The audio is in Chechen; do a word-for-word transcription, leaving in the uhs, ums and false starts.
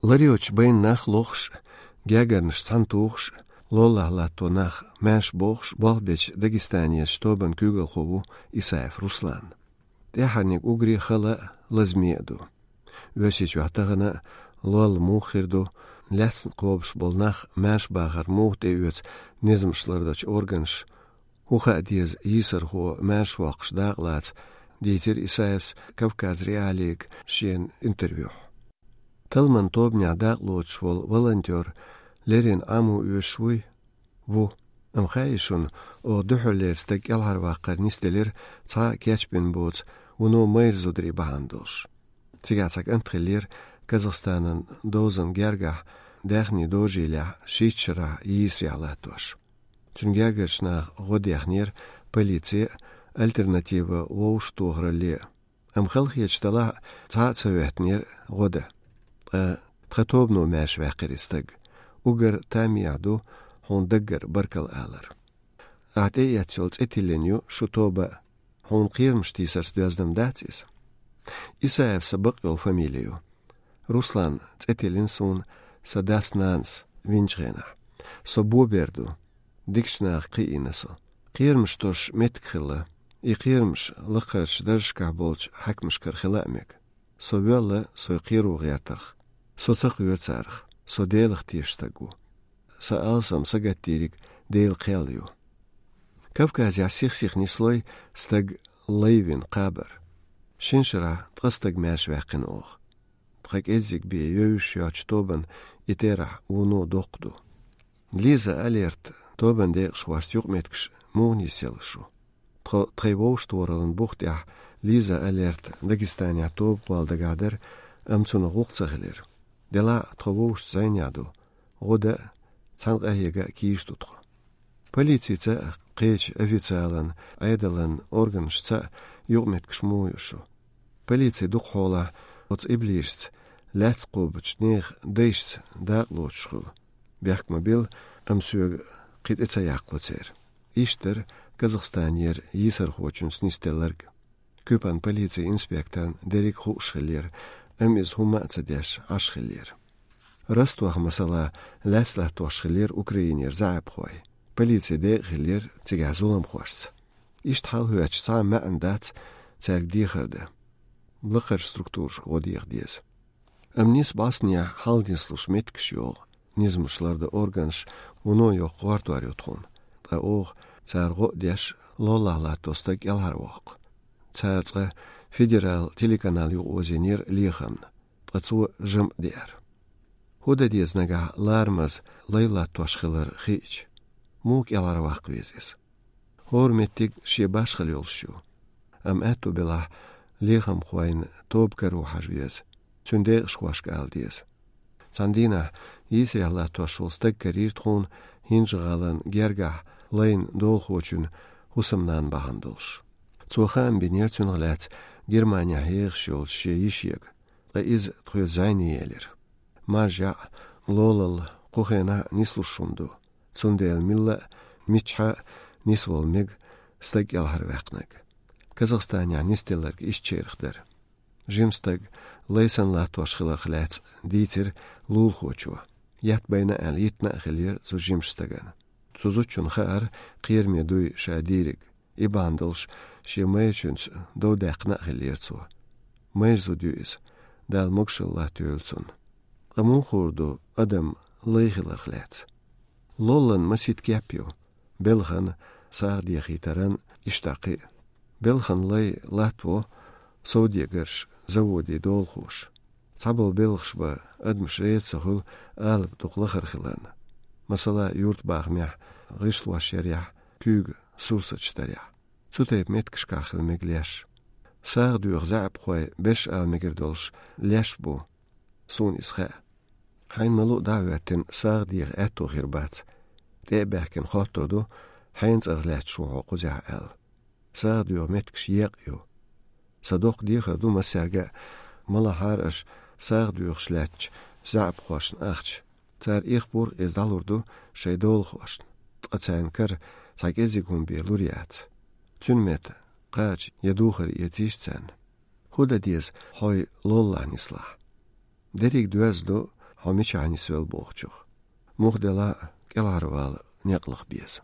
Ларйочу байна нах лохуш, гергарнаш цхьаьна тухуш, лоллахь латто нах маьрша бохуш, болх бечу Дагестанерчу тобанан куьйгалхо ву Исаев Руслан. ТӀаьхьарниг уггаре хала а, лазаме а ду. Оьрсийчохь тахана а лолла муха хир ду, лаьцна кхобуш болу нах маьрша бахар муха тӀеоьцу низамаш лардечу органаша, хӀун хаа деза йийсархо маьрша воккхуш дакъалаца, дийцира Исаевс Кавказ.Реалиига шен интервьюхь. Талламан тобанехь дакъалоцуш волу волонтер леррина Ӏамо оьшуш вуй? Ву. Амма хаьий шуна, оха дуьххьарлера стаг кӀелхьарваккхар нисделира цхьа а кечбина боцу вуно майра зударий бахьана долуш. Цигахь цхьа кӀант хиллера Казахстанан дозан гергахь даьхни дожийлехь шийтта шарахь йийсарехь латтош. Цуьнан гергарчу наха гӀо дехнера полици а, Альтернатива вовшахтохаралле а. Амма халахеташ далахь а цхьа а ца хӀоьттинера гӀо дан. Ткъа тхан тобано маьрша ваьккхира и стаг. Уггар тамехь ду хьуна даггара баркалла алар. Ахь тӀеэцна йолу цӀе тиллина ю шун тоба а. Хьуна кхерамаш тийсарца доьзна-м дац иза. Исаев сан бакъйолу фамили ю. Руслан цӀе тиллина суна сан дас-нанас винчу хенахь. Со бобер ду. Дикачу наха кхиийна со. Кхерамаш тосуш меттиг хилла. И кхерамаш лакхарчу даржашкахь болчу хьаькамашкара хила а мега. Со воьлла, со кхеро гӀертарх. Со ца кхоьру царах. Со Делах тешаш стаг ву. Сан алсам сагатдийриг Делан кхел ю. Кавказехь сих-сиха нислой стаг лай вина кхабар. Шина шарахь ткъа стаг маьрша ваьккхина оха. Тхан кӀеззиг бен евзаш йоцчу тобанан и терахь вуно доккха ду. Лиза Алерт тобанан декъашхошца юкъаметтигаш муха нисъелла шу? Тхо тхайн вовшахтохараллин бух тӀехь Лиза Алерт Дагестанехь тоба кхолла дагахь дара, амма цунах гӀуллакх ца хилира. Делахь а тхо вовшашца зӀенехь ду, гӀо дан а, цхьаьна къахьега а кийча ду тхо. Полицица а, кхечу официалан Ӏедалан органашца а юкъаметтигаш муха ю шу? Полици дукхахьолахь оцу иблисашца, лаьцна кхобучу нехан дайшца дакъалоцуш хуьлу. Бехк ма билла, амма соьга кхин тӀе ца яккхало церан. Иштта дара Казахстанера йийсархочуьнца нисделларг. Куьпан полицин инспекторна дерриг а хууш хиллера, амма иза хӀумма а ца деш, Ӏаш хиллера. Ростовехь, масала, лаьцна латтош хиллера Украинера заьӀапхой. Полицин декъа хиллера цигахь зуламхошца. Иштта хьал хӀоьттича, цхьа а маьӀна дац цаьрга дехар дан. Лакхарчу структурашка гӀо деха деза. Амма нисса бӀостанехь хьал нислуш меттигаш йогӀу, низамаш лардан органаш вуно йоккха гӀортор ю тхуна. Ткъа оха, цара гӀо а деш, лоллахь латто стаг кӀелхьарвоккху. Цара цкъа федерал телеканал юкъаозийнера лехамна, ткъа цо жамӀ деара. ХӀун дан деза нагахь ларамаза лай латтош хилар хиъча? Муха кӀелхьарваккха веза иза? ХӀора меттиг шен башхалла йолуш ю. Амма аьтту белахь, лехамхойн тоба каро хьажа веза, цуьнан декъашхошка ала деза. Цхьана дийнахь йийсарехь латтош волу стаг карийра тхуна ХӀинжа-ГӀалин гергахь лайн долахочун хӀусамнана бахьана долуш. Цо хаам бинера цунах лаьцна Германехь ехаш йолчу шен йишега, ткъа иза тхоьца зӀене елира. Маржа яӀ, лолалла кху хенахь а нислуш хӀума ду. Цундела милла а, миччахьа а нисвала мега стаг кӀелхьарваьккхинарг. Казахстанехь нисделларг иштачарах дара. Жима стаг лай санна латтош хиларх лаьцна дийцира лулахочо. Етта байна аьлла, йитина а хиллера цу жимачу стагана. Цу зудчунна хаьара, кхераме дуй ша дийриг. И бахьана долуш шен майрачуьнца дов даьккхина а хиллера цо. Майра зуда ю иза, Дала могушалла латтайойла цунна. Ткъа муха хуур ду адам лай хиларх лаьцна? Лоллан масийтта кеп ю: белхан, сагӀа дехийтаран, иштта кхин а. Белхан лай латтаво совдегарш, заводийн долахоша. Цхьаболу белхаш бан адамаш реза ца хуьлу алапа дукха лахара хиларна. Масала, юьртабахамехь гӀишлош ярехь, куьйга сурсаташ дарехь. Цу тайпа меттигашкахь хила мега леш. СагӀа доьху заьӀапхой берш ала мегар долуш леш бу, суна иза хаьа. Хьайна ма-луъу дӀа а хӀоьттина, сагӀа деха аьтто хир бац. ТӀе а баьхкина хоттур ду, хьенан цӀарах лаьтташ ву хьо кхузахь аьлла. СагӀа доьху меттигаш екъа ю. Сан доккха дехар ду массаьрга а, ма лахьара аша сагӀа доьхуш лаьттачу заьӀапхошна ахча. Цара ирх-бурх иза дӀалур ду шайн долахошна, ткъа царна кара цхьа кӀеззиг хӀума бен лур яц. Цуьнан метта кхача я духар эцийша царна. ХӀун дан деза хьо лоллахь нислахь? Дерриг доьзна ду хьо мичахь нисвелла бохучух. Муха делахь а, кӀелхьарвала некъ лаха беза.